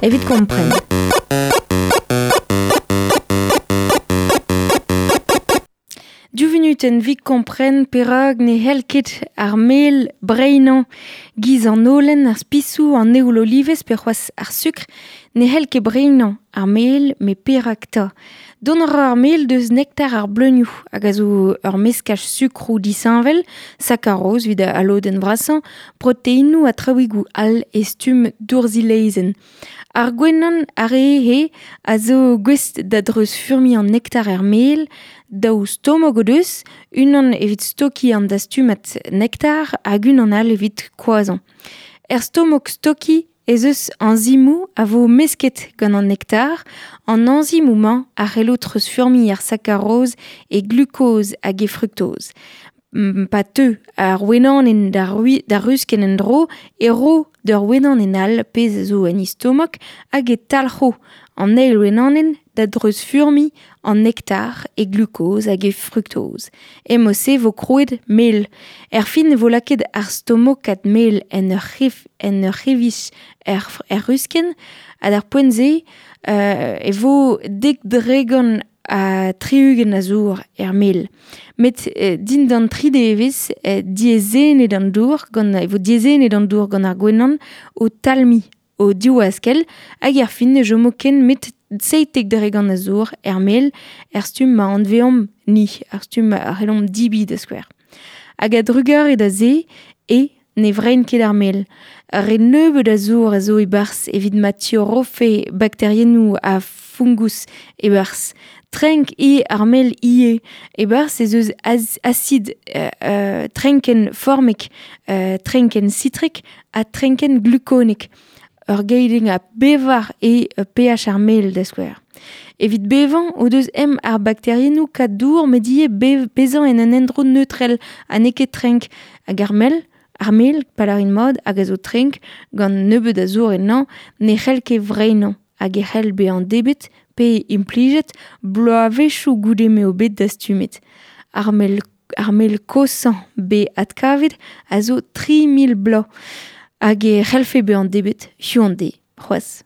Evit kompren. Div vunutenn 'vit kompren perak ne c'hell ket ar mel breinañ giz an holen, ar spisoù, an eoul olivez pe c'hoazh ar sukr. Ne c'hell ket breinañ ar mel, met perak 'ta? Dont a ra ar mel deus nektar ar bleunioù hag a zo ur meskaj sukroù disheñvel, sakaroz evit al lodenn vrasañ, proteinoù ha traoùigoù all e stumm dourzilezenn. Ar gwenan ar re-he a zo gouest da dreuzfurmiñ an nektar er mel, daou stomok o deus, unan evit stokiñ an dastumad nektar hag unan all evit koazhañ. Er stomok stokiñ ez eus añzimoù a vo mesket gant an nektar. An añzimoù-mañ a c'hello treuzfurmiñ ar sakaroz e glukoz hag e fruktoz. Pa teu ar wenanenn d'ar ruskenn en-dro e ro d'ur wenanenn all pezh a zo en he stomok hag e talc'ho an eil wenanenn da dreuzfurmiñ an nektar e glukoz hag e fruktoz. E-mod-se vo krouet mel. Erfin e vo lakaet ar stomokad mel en ur c'hef en ur c'hevij er, er ruskenn ha d'ar poent-se e vo 70% a zour er mel. Met dindan tri devezh diaezhennet an dour gant e vo diaezhennet an dour gant ar gwenan o talmiñ o div-askell hag erfin ne chomo ken met 70% a zour er mel er stumm ma anveomp ni, ar stumm a c'hellomp debriñ da skouer. Hag a-drugarez da se e ne vrein ket ar mel. Re nebeut a zour a zo e-barzh evit ma tiorrofe bakteriennoù ha fungus e-barzh. Trenk eo ar mel ivez. E-barzh ez eus asid trenkenn formek, trenkenn sitrek ha trenkenn glukonek. Ur geidenn a bevar eo pH ar mel da skouer. Evit bevañ o deus em ar bakteriennoù kad dour met ivez bezañ en un endro neutrel ha n'eo ket trenk. Hag ar mel, ar mel, pa lârin mat, hag a zo trenk gant nebeut a zour ennañ, ne c'hell ket vreinañ hag e c'hell bezañ debret pe implijet bloavezhioù goude m'eo bet dastumet. Ar mel ar mel kozhañ bet adkavet a zo 3000 bloaz hag e c'hellfe bezañ debret hiziv an deiz c'hoazh.